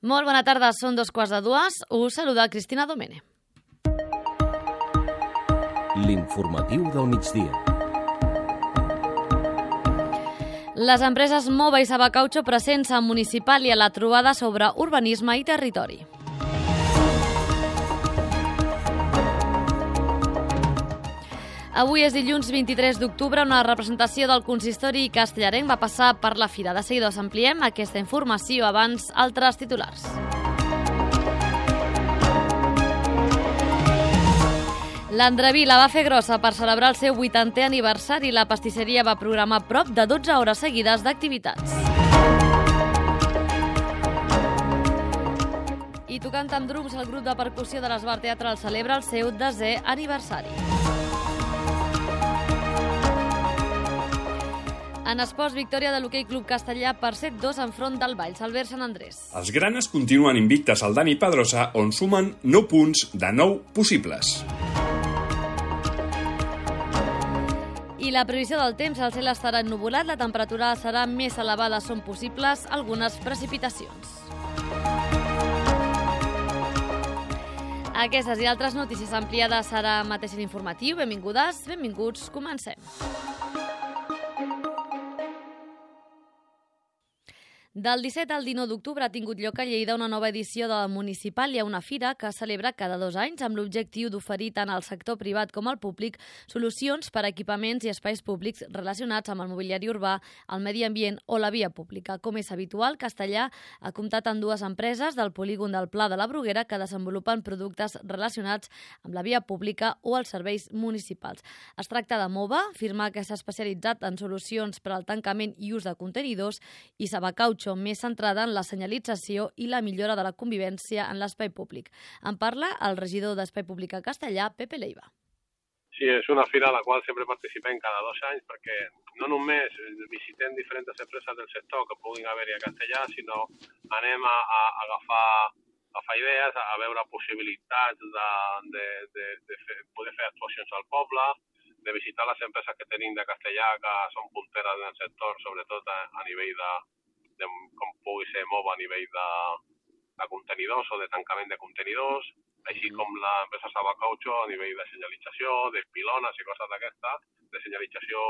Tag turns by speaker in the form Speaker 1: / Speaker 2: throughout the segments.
Speaker 1: Molt bona tarda, són 2:15. Us saluda Cristina Domene.
Speaker 2: L'informatiu del migdia.
Speaker 1: Les empreses Mova i Sabacaucho presents a Municipal i a la trobada sobre urbanisme i territori. Avui és dilluns 23 d'octubre, una representació del consistori castellarenc va passar per la fira. De seguida us ampliem aquesta informació, abans altres titulars. L'Andreví la va fer grossa per celebrar el seu 80è aniversari. La pastisseria va programar prop de 12 hores seguides d'activitats. I tocant amb drums, el grup de percussió de l'Esbar Teatral celebra el seu 10è aniversari. En esports, victòria de l'Hoquei Club Castellà per 7-2 enfront del Valls, Albert Sant Andrés.
Speaker 3: Els granes continuen invictes al Dani Pedrosa, on sumen 9 punts de 9 possibles.
Speaker 1: I la previsió del temps, el cel estarà ennuvolat, la temperatura serà més elevada, són possibles algunes precipitacions. Aquestes i altres notícies ampliades serà mateix en informatiu. Benvingudes, benvinguts, comencem. Del 17 al 19 d'octubre ha tingut lloc a Lleida una nova edició de la Municipal. Hi ha una fira que es celebra cada 2 anys amb l'objectiu d'oferir tant al sector privat com al públic solucions per a equipaments i espais públics relacionats amb el mobiliari urbà, el medi ambient o la via pública. Com és habitual, Castellà ha comptat amb 2 empreses del polígon del Pla de la Bruguera que desenvolupen productes relacionats amb la via pública o els serveis municipals. Es tracta de Mova, firma que s'ha especialitzat en solucions per al tancament i ús de contenidors, i Sabacaucho, més centrada en la senyalització i la millora de la convivència en l'espai públic. En parla el regidor d'Espai Públic a Castellà, Pepe Leiva.
Speaker 4: Sí, és una fira a la qual sempre participem cada 2 anys perquè no només visitem diferents empreses del sector que puguin haver-hi a Castellà, sinó anem a agafar idees, a veure possibilitats de poder fer actuacions al poble, de visitar les empreses que tenim de Castellà que són punteres en el sector, sobretot a nivell de com pugui ser Mova a nivell de contenidors o de tancament de contenidors, així com l'empresa Sabacaucho a nivell de senyalització, de pilones i coses d'aquestes, de senyalització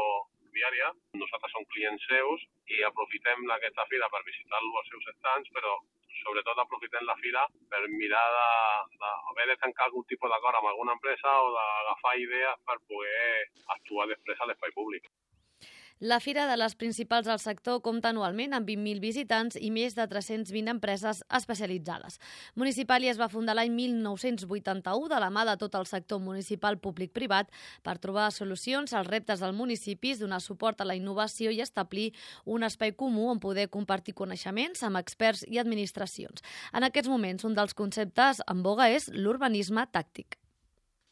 Speaker 4: viària. Nosaltres som clients seus i aprofitem aquesta fira per visitar-lo als seus stands, però sobretot aprofitem la fira per mirar d'haver de tancar algun tipus d'acord amb alguna empresa o d'agafar idees per poder actuar després a l'espai públic.
Speaker 1: La fira de les principals del sector compta anualment amb 20.000 visitants i més de 320 empreses especialitzades. Municipal es va fundar l'any 1981 de la mà de tot el sector municipal públic-privat per trobar solucions als reptes dels municipis, donar suport a la innovació i establir un espai comú on poder compartir coneixements amb experts i administracions. En aquests moments, un dels conceptes en boga és l'urbanisme tàctic.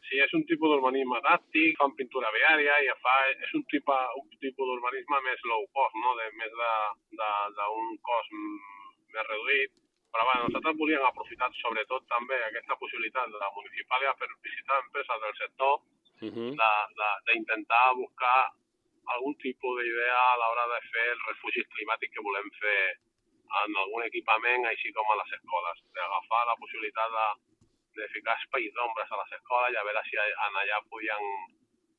Speaker 4: Sí, és un tipus d'urbanisme tàctic, fan pintura viària i és un tipus d'urbanisme més low cost, no? Més d'un cost més reduït. Però nosaltres volíem aprofitar sobretot també aquesta possibilitat de la municipàlia per visitar empreses del sector, d'intentar buscar algun tipus d'idea a l'hora de fer els refugis climàtics que volem fer en algun equipament, així com a les escoles, d'agafar la possibilitat de ficar espais d'ombres a les escoles i a veure si allà podien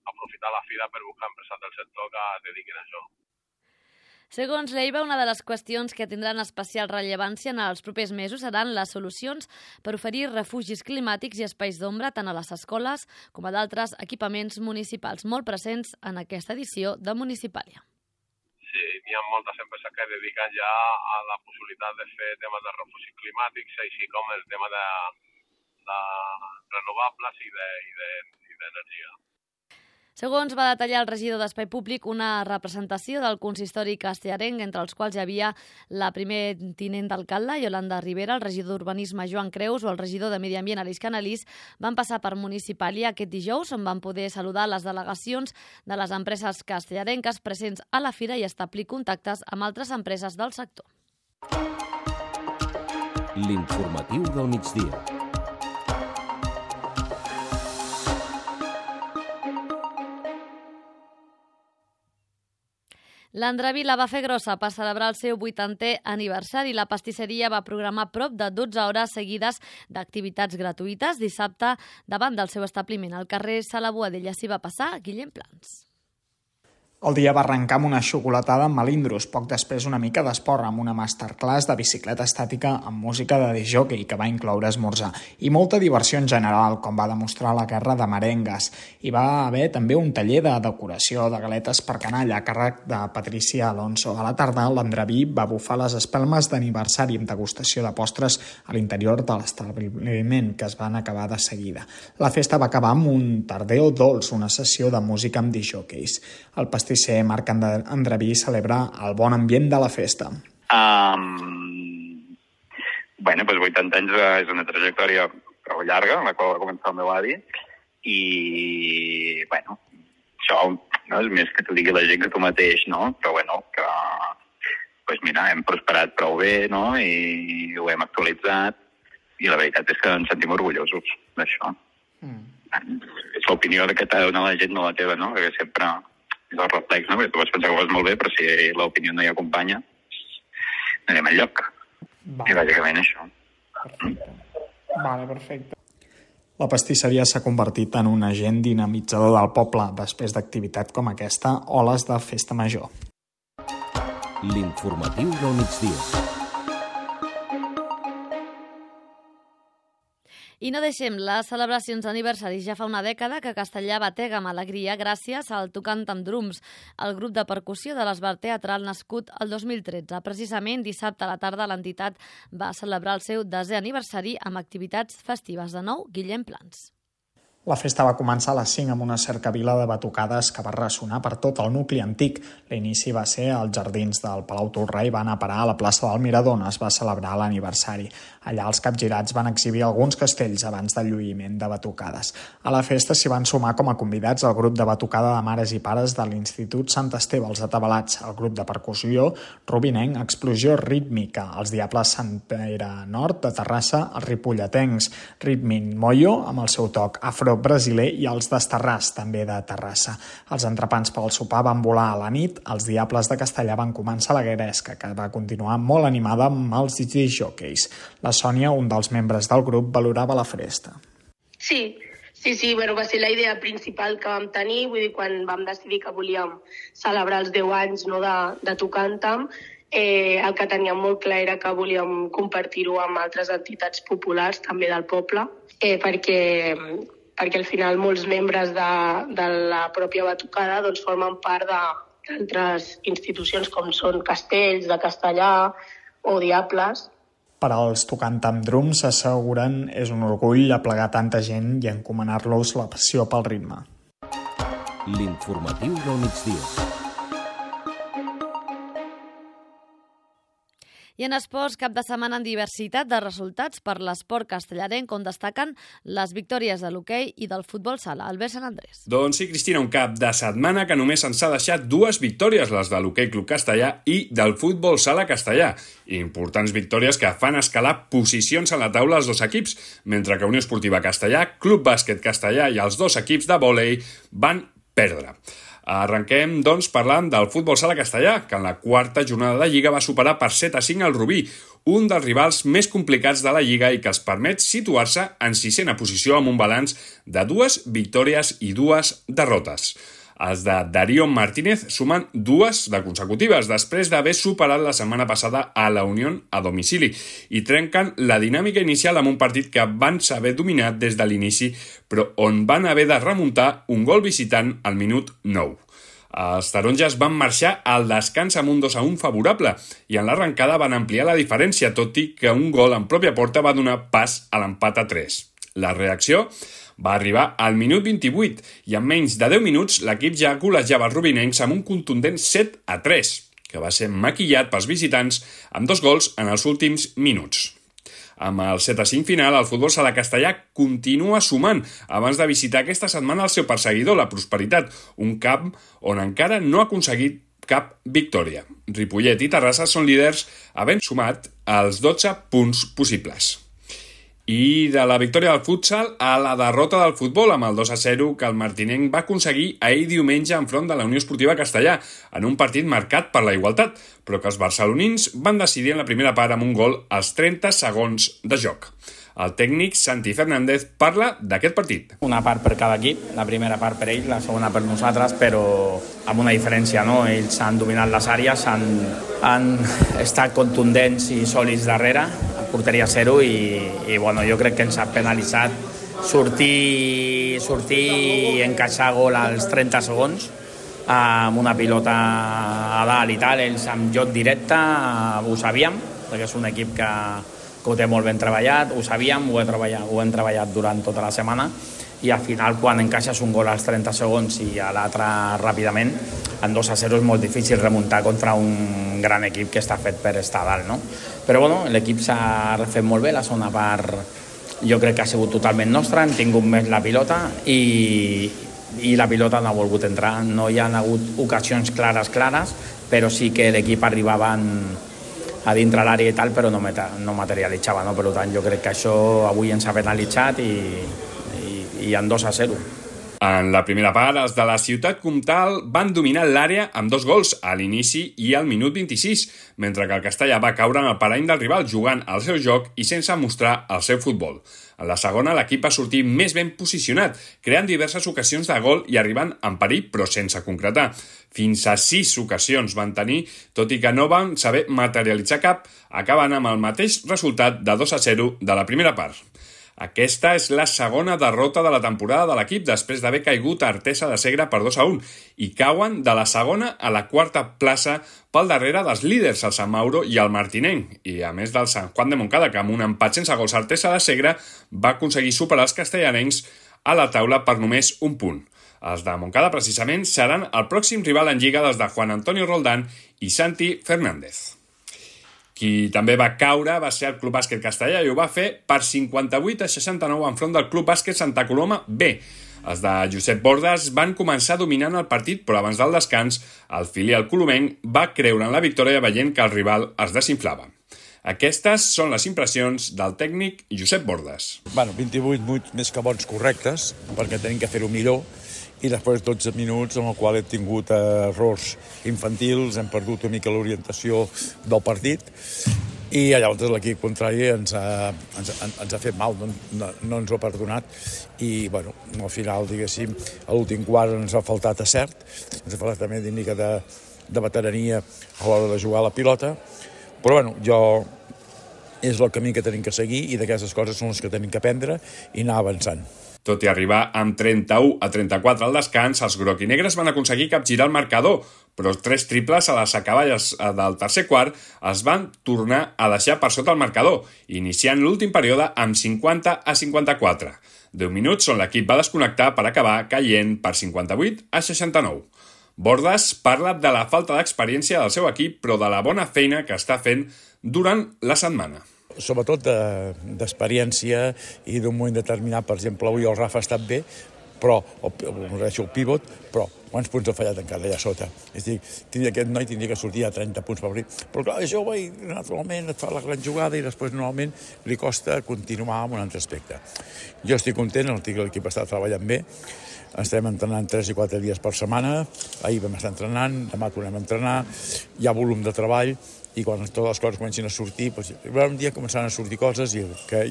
Speaker 4: aprofitar la fira per buscar empreses del sector que es dediquin a això.
Speaker 1: Segons Leiva, una de les qüestions que tindran especial rellevància en els propers mesos seran les solucions per oferir refugis climàtics i espais d'ombra tant a les escoles com a d'altres equipaments municipals, molt presents en aquesta edició de Municipàlia.
Speaker 4: Sí, n'hi ha moltes empreses que es dediquen ja a la possibilitat de fer temes de refugis climàtics, així com el tema de renovables i d'energia.
Speaker 1: Segons va detallar el regidor d'Espai Públic, una representació del consistori castellarenc, entre els quals hi havia la primer tinent d'alcalde, Yolanda Rivera, el regidor d'Urbanisme, Joan Creus, o el regidor de Medi Ambient, Aleix Canalís, van passar per Municipàlia aquest dijous, on van poder saludar les delegacions de les empreses castellarenques presents a la fira i establir contactes amb altres empreses del sector.
Speaker 2: L'informatiu del migdia.
Speaker 1: L'Andreví la va fer grossa per celebrar el seu 80è aniversari. La pastisseria va programar prop de 12 hores seguides d'activitats gratuïtes. Dissabte, davant del seu establiment al carrer Sala Boadella, s'hi va passar Guillem Plans.
Speaker 5: El dia va arrencar amb una xocolatada amb melindros, poc després una mica d'esport amb una masterclass de bicicleta estàtica amb música de discjòquei que va incloure esmorzar i molta diversió en general, com va demostrar la guerra de merengues. Hi va haver també un taller de decoració de galetes per canalla a càrrec de Patricia Alonso. A la tarda, l'Andreví va bufar les espelmes d'aniversari amb degustació de postres a l'interior de l'establiment, que es van acabar de seguida. La festa va acabar amb un tardeo dolç, una sessió de música amb discjòqueis. El pastisser Marc Andreví celebra el bon ambient de la festa.
Speaker 6: Bueno, doncs 80 anys és una trajectòria prou llarga, en la qual va començar el meu avi, i, bueno, això no és més que t'ho digui la gent que tu mateix, no? Però, bueno, que, doncs mira, hem prosperat prou bé, no? I ho hem actualitzat, i la veritat és que ens sentim orgullosos d'això. És l'opinió que t'ha de donar la gent, no la teva, no? Perquè sempre és el reflex, no? Perquè tu vas pensar que ho fas molt bé, però si l'opinió no hi acompanya, no anem enlloc. I bàsicament això.
Speaker 5: Perfecte. La pastisseria s'ha convertit en un agent dinamitzador del poble després d'activitat com aquesta o les de festa major.
Speaker 2: L'informatiu del migdia.
Speaker 1: I no deixem les celebracions d'aniversaris. Ja fa una dècada que Castellà batega amb alegria gràcies al Tocant amb Drums, el grup de percussió de l'Esbart Teatral nascut el 2013. Precisament dissabte a la tarda l'entitat va celebrar el seu 10è aniversari amb activitats festives. De nou, Guillem Plans.
Speaker 5: La festa va començar a les 5 amb una cercavila de batucades que va ressonar per tot el nucli antic. L'inici va ser als jardins del Palau Tolrà i van a parar a la plaça del Mirador on es va celebrar l'aniversari. Allà els capgirats van exhibir alguns castells abans del lluïment de batucades. A la festa s'hi van sumar com a convidats el grup de batucada de mares i pares de l'Institut Sant Esteve, els Atabalats, el grup de percussió Rubinenc, Explosió Rítmica, els Diables Sant Pere Nord de Terrassa, els Ripolletens, Ritmin Moyo, amb el seu toc afro-brasiler, i els d'Estarràs, també de Terrassa. Els entrepans pel sopar van volar a la nit, els Diables de Castellà van començar la gueresca, que va continuar molt animada amb els discjòqueis. La Sònia, un dels membres del grup, valorava la festa.
Speaker 7: Sí, bueno, va ser la idea principal que vam tenir, vull dir, quan vam decidir que volíem celebrar els 10 anys, no, de Tocant-am, el que teníem molt clar era que volíem compartir-ho amb altres entitats populars, també del poble, perquè al final molts membres de la pròpia batucada doncs, formen part d'altres institucions com són Castells, de Castellà o Diables.
Speaker 5: Per als Tocant amb Drums, asseguren, és un orgull aplegar tanta gent i encomanar-los la passió pel ritme.
Speaker 2: L'informatiu del migdia.
Speaker 1: I en esports, cap de setmana en diversitat de resultats per l'esport castellarenc, on destaquen les victòries de l'hoquei i del futbol sala. Albert Sant Andrés.
Speaker 3: Doncs sí, Cristina, un cap de setmana que només ens ha deixat 2 victòries, les de l'hoquei Club Castellà i del futbol sala castellà. Importants victòries que fan escalar posicions a la taula els 2 equips, mentre que Unió Esportiva Castellà, Club Bàsquet Castellà i els 2 equips de vòlei van perdre. Arrenquem, doncs, parlant del futbol sala castellà, que en la 4ª jornada de Lliga va superar per 7-5 el Rubí, un dels rivals més complicats de la Lliga i que els permet situar-se en 6a posició amb un balanç de 2 victòries i 2 derrotes. Els de Darío Martínez sumen 2 de consecutives després d'haver superat la setmana passada a la Unió a domicili i trenquen la dinàmica inicial amb un partit que van saber dominar des de l'inici, però on van haver de remuntar un gol visitant al minut 9. Els taronges van marxar al descans amb un 2-1 favorable i en l'arrencada van ampliar la diferència, tot i que un gol en pròpia porta va donar pas a l'empat a 3. La reacció va arribar al minut 28 i en menys de 10 minuts l'equip ja golejava els rubinencs amb un contundent 7-3, que va ser maquillat pels visitants amb 2 gols en els últims minuts. Amb el 7-5 final, el futbol sala castellà continua sumant abans de visitar aquesta setmana el seu perseguidor, la Prosperitat, un camp on encara no ha aconseguit cap victòria. Ripollet i Terrassa són líders havent sumat els 12 punts possibles. I de la victòria del futsal a la derrota del futbol amb el 2-0 que el martinenc va aconseguir ahir diumenge enfront de la Unió Esportiva Castellà en un partit marcat per la igualtat, però que els barcelonins van decidir en la primera part amb un gol als 30 segons de joc. El tècnic Santi Fernández parla d'aquest partit.
Speaker 8: Una part per cada equip, la primera part per ells, la segona per nosaltres, però amb una diferència, no? Ells han dominat les àrees, han estat contundents i sòlids darrere, a porteria 0 i bueno, jo crec que ens ha penalitzat sortir i encaixar gol als 30 segons amb una pilota a dalt i tal, ells amb joc directe ho sabíem, perquè és un equip que ho té molt ben treballat, ho sabíem, ho hem treballat durant tota la setmana i al final quan encaixes un gol als 30 segons i a l'altre ràpidament, en 2-0 és molt difícil remuntar contra un gran equip que està fet per estar a dalt, no? Però bueno, l'equip s'ha refet molt bé, la segona part jo crec que ha sigut totalment nostra, hem tingut més la pilota i la pilota no ha volgut entrar, no hi ha hagut ocasions clares, però sí que l'equip arribava a dintre l'àrea i tal, però no materialitzava, no? Per tant, jo crec que això avui ens ha penalitzat i en 2-0.
Speaker 3: En la primera part, els de la Ciutat Comtal van dominar l'àrea amb 2 gols a l'inici i al minut 26, mentre que el Castellà va caure en el parany del rival jugant el seu joc i sense mostrar el seu futbol. En la segona, l'equip va sortir més ben posicionat, creant diverses ocasions de gol i arribant en perill, però sense concretar. Fins a 6 ocasions van tenir, tot i que no van saber materialitzar cap, acabant amb el mateix resultat de 2-0 de la primera part. Aquesta és la segona derrota de la temporada de l'equip després d'haver caigut a Artesa de Segre per 2-1 i cauen de la segona a la quarta plaça pel darrere dels líders, el Sant Mauro i el Martinenc, i a més del Sant Juan de Montcada, que amb un empat sense gols a Artesa de Segre va aconseguir superar els castellanencs a la taula per només un punt. Els de Montcada, precisament, seran el pròxim rival en Lliga dels de Juan Antonio Roldán i Santi Fernández. Qui també va caure va ser el Club Bàsquet Castellà i ho va fer per 58-69 enfront del Club Bàsquet Santa Coloma B. Els de Josep Bordes van començar dominant el partit, però abans del descans, el filial colomenc va creure en la victòria veient que el rival es desinflava. Aquestes són les impressions del tècnic Josep Bordes.
Speaker 9: 28 minuts més que bons correctes, perquè tenim que fer-ho millor, i després 12 minuts en el qual hem tingut errors infantils, hem perdut una mica l'orientació del partit i llavors l'equip contrari ens ha fet mal, no ens ho ha perdonat i bueno, al final, diguéssim, a l'últim quart ens ha faltat acert, ens ha faltat també una mica de veterania a l'hora de jugar a la pilota, però bueno, és el camí que tenim que seguir i d'aquestes coses són les que tenim que aprendre i anar avançant.
Speaker 3: Tot i arribar amb 31-34 al descans, els groc-i-negres van aconseguir capgirar el marcador, però 3 triples a les acaballes del tercer quart es van tornar a deixar per sota el marcador, iniciant l'últim període amb 50-54. 10 minuts on l'equip va desconnectar per acabar caient per 58-69. Bordes parla de la falta d'experiència del seu equip, però de la bona feina que està fent durant la setmana.
Speaker 9: Sobretot d'experiència i d'un moment determinat, per exemple, avui el Rafa ha estat bé, però, el pivot, però quants punts ha fallat encara allà sota? És a dir, aquest noi tindria que sortir a 30 punts per obrir. Però clar, és jove i naturalment et fa la gran jugada i després normalment li costa continuar amb un altre aspecte. Jo estic content, l'equip està treballant bé, estem entrenant 3 i 4 dies per setmana, ahir vam estar entrenant, demà tornem a entrenar, hi ha volum de treball, i quan totes les coses comencin a sortir, doncs, un dia començaran a sortir coses i que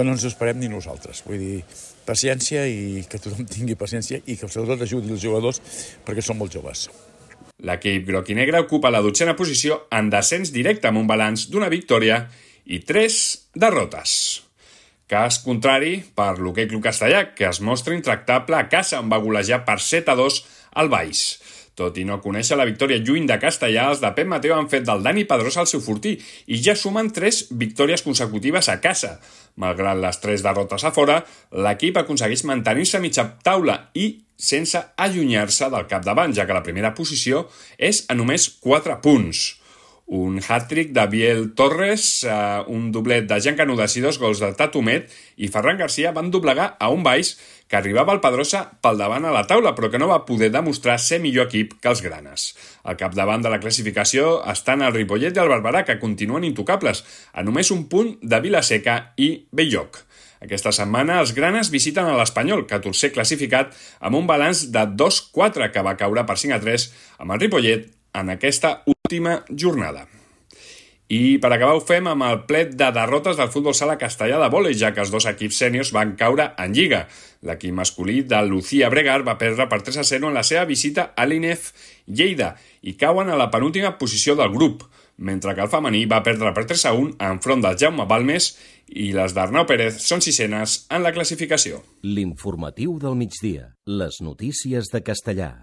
Speaker 9: no ens ho esperem ni nosaltres. Vull dir, paciència i que tothom tingui paciència i que sobretot ajudi els jugadors perquè són molt joves.
Speaker 3: L'equip groc i negre ocupa la 12a posició en descens directe amb un balanç d'una victòria i 3 derrotes. Cas contrari per l'Hoquei Club Castellà, que es mostra intractable a casa on va golejar per 7-2 al Baix. Tot i no conèixer la victòria lluny de Castellà, els de Pep Mateo han fet del Dani Pedrosa el seu fortí i ja sumen 3 victòries consecutives a casa. Malgrat les 3 derrotes a fora, l'equip aconsegueix mantenir-se a mitja taula i sense allunyar-se del capdavant, ja que la primera posició és a només 4 punts. Un hat-trick de Biel Torres, un doblet de Jan Canudas i 2 gols de Tatumet i Ferran Garcia van doblegar a un Baix que arribava al Pedrosa pel davant a la taula, però que no va poder demostrar ser millor equip que els granes. Al capdavant de la classificació estan el Ripollet i el Barberà, que continuen intocables, a només un punt de Vilaseca i Bell-lloc. Aquesta setmana els granes visiten a l'Espanyol, 14è classificat, amb un balanç de 2-4 que va caure per 5-3 amb el Ripollet en aquesta última jornada. I per acabar ho fem amb el plet de derrotes del futbol sala castellà de vòlei, ja que els dos equips sèniors van caure en Lliga. L'equip masculí de Lucía Bregar va perdre per 3-0 en la seva visita a l'INEF Lleida i cauen a la penúltima posició del grup, mentre que el femení va perdre per 3-1 enfront del Jaume Balmes i les d'Arnau Pérez són sisenes en la classificació.
Speaker 2: L'informatiu del migdia. Les notícies de Castellà.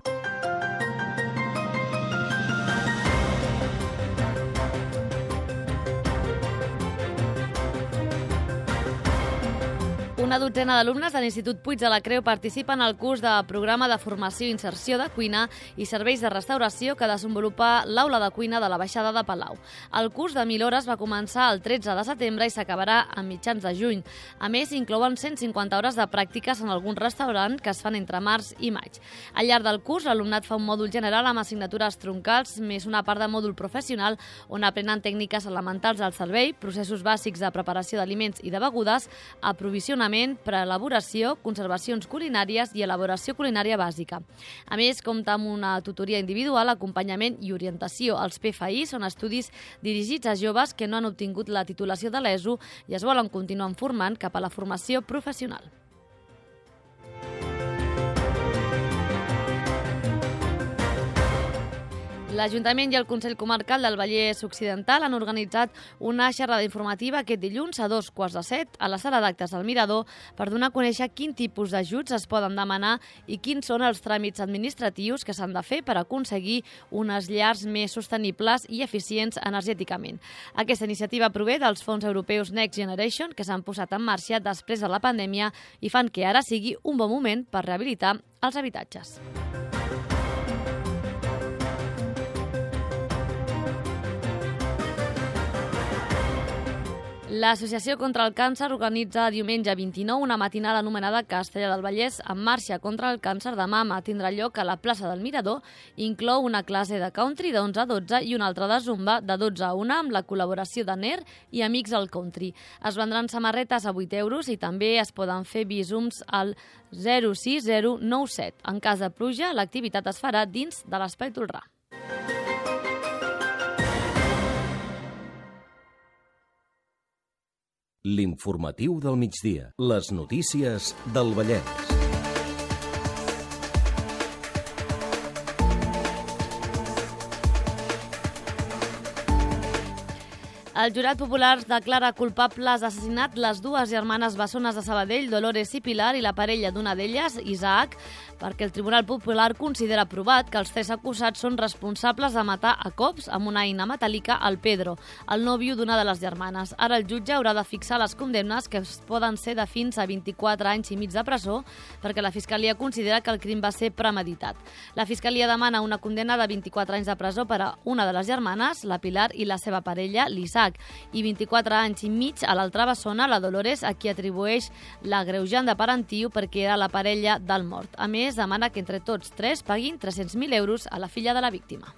Speaker 1: Una dotzena d'alumnes de l'Institut Puig de la Creu participen al curs de programa de formació i inserció de cuina i serveis de restauració que desenvolupa l'Aula de Cuina de la Baixada de Palau. El curs de 1.000 hores va començar el 13 de setembre i s'acabarà a mitjans de juny. A més, inclouen 150 hores de pràctiques en algun restaurant que es fan entre març i maig. Al llarg del curs, l'alumnat fa un mòdul general amb assignatures troncals més una part de mòdul professional on aprenen tècniques elementals del servei, processos bàsics de preparació d'aliments i de begudes, aprovisionament, preelaboració, conservacions culinàries i elaboració culinària bàsica. A més, compta amb una tutoria individual, acompanyament i orientació. Els PFI són estudis dirigits a joves que no han obtingut la titulació de l'ESO i es volen continuar formant cap a la formació professional. L'Ajuntament i el Consell Comarcal del Vallès Occidental han organitzat una xerrada informativa aquest dilluns a 2:15 a la sala d'actes del Mirador per donar a conèixer quin tipus d'ajuts es poden demanar i quins són els tràmits administratius que s'han de fer per aconseguir unes llars més sostenibles i eficients energèticament. Aquesta iniciativa prové dels fons europeus Next Generation que s'han posat en marxa després de la pandèmia i fan que ara sigui un bon moment per rehabilitar els habitatges. L'Associació contra el Càncer organitza diumenge 29 una matinada anomenada Castellà del Vallès en marxa contra el càncer de mama. Tindrà lloc a la plaça del Mirador. Inclou una classe de country de 11 a 12 i una altra de zumba de 12 a 1 amb la col·laboració de NER i Amics del Country. Es vendran samarretes a 8 euros i també es poden fer visums al 06097. En cas de pluja, l'activitat es farà dins de l'Espai Tolrà.
Speaker 2: L'informatiu del migdia. Les notícies del Vallès.
Speaker 1: El jurat popular declara culpables d'assassinat les dues germanes bessones de Sabadell, Dolores i Pilar, i la parella d'una d'elles, Isaac, perquè el Tribunal Popular considera provat que els tres acusats són responsables de matar a cops amb una eina metàl·lica al Pedro, el nòvio d'una de les germanes. Ara el jutge haurà de fixar les condemnes, que poden ser de fins a 24 anys i mig de presó, perquè la Fiscalia considera que el crim va ser premeditat. La Fiscalia demana una condemna de 24 anys de presó per a una de les germanes, la Pilar, i la seva parella, l'Isaac, i 24 anys i mig a l'altra bessona, la Dolores, a qui atribueix l'agreujant de parentiu perquè era la parella del mort. A més, demana que entre tots tres paguin 300.000 euros a la filla de la víctima.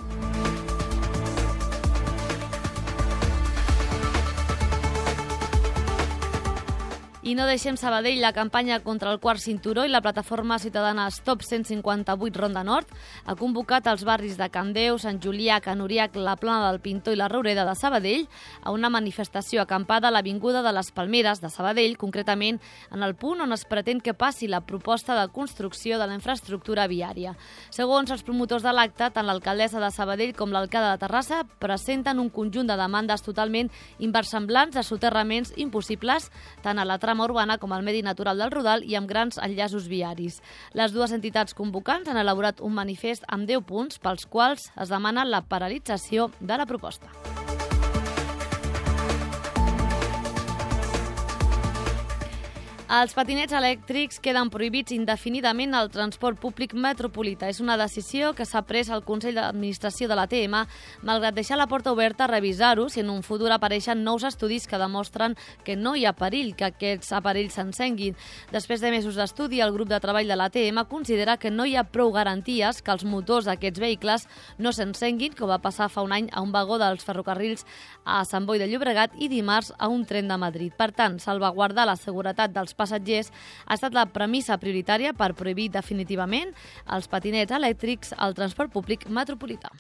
Speaker 1: I no deixem Sabadell. La campanya contra el quart cinturó i la plataforma ciutadana Stop 158 Ronda Nord ha convocat als barris de Can Déu, Sant Julià, Can Uriac, la Plana del Pintor i la Roureda de Sabadell a una manifestació acampada a l'Avinguda de les Palmeres de Sabadell, concretament en el punt on es pretén que passi la proposta de construcció de la infraestructura viària. Segons els promotors de l'acte, tant l'alcaldessa de Sabadell com l'alcalde de Terrassa presenten un conjunt de demandes totalment inversemblants de soterraments impossibles tant a la trama urbana com al medi natural del Rodal i amb grans enllaços viaris. Les dues entitats convocants han elaborat un manifest amb 10 punts pels quals es demana la paralització de la proposta. Els patinets elèctrics queden prohibits indefinidament al transport públic metropolità. És una decisió que s'ha pres al Consell d'Administració de l'ATM, malgrat deixar la porta oberta a revisar-ho si en un futur apareixen nous estudis que demostren que no hi ha perill que aquests aparells s'encenguin. Després de mesos d'estudi, el grup de treball de l'ATM considera que no hi ha prou garanties que els motors d'aquests vehicles no s'encenguin, com va passar fa un any a un vagó dels ferrocarrils a Sant Boi de Llobregat i dimarts a un tren de Madrid. Per tant, salvaguardar la seguretat dels passatgers ha estat la premissa prioritària per prohibir definitivament els patinets elèctrics al transport públic metropolità.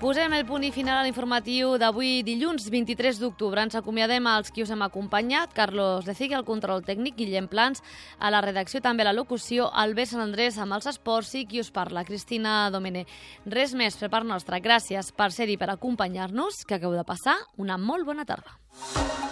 Speaker 1: Posem el punt i final a l'informatiu d'avui, dilluns 23 d'octubre. Ens acomiadem als qui us hem acompanyat. Carlos Lecigui, al control tècnic, Guillem Plans, a la redacció, també a la locució, Albert Sant Andrés amb els esports i qui us parla, Cristina Domènech. Res més per part nostra. Gràcies per ser-hi, per acompanyar-nos, que acabeu de passar una molt bona tarda.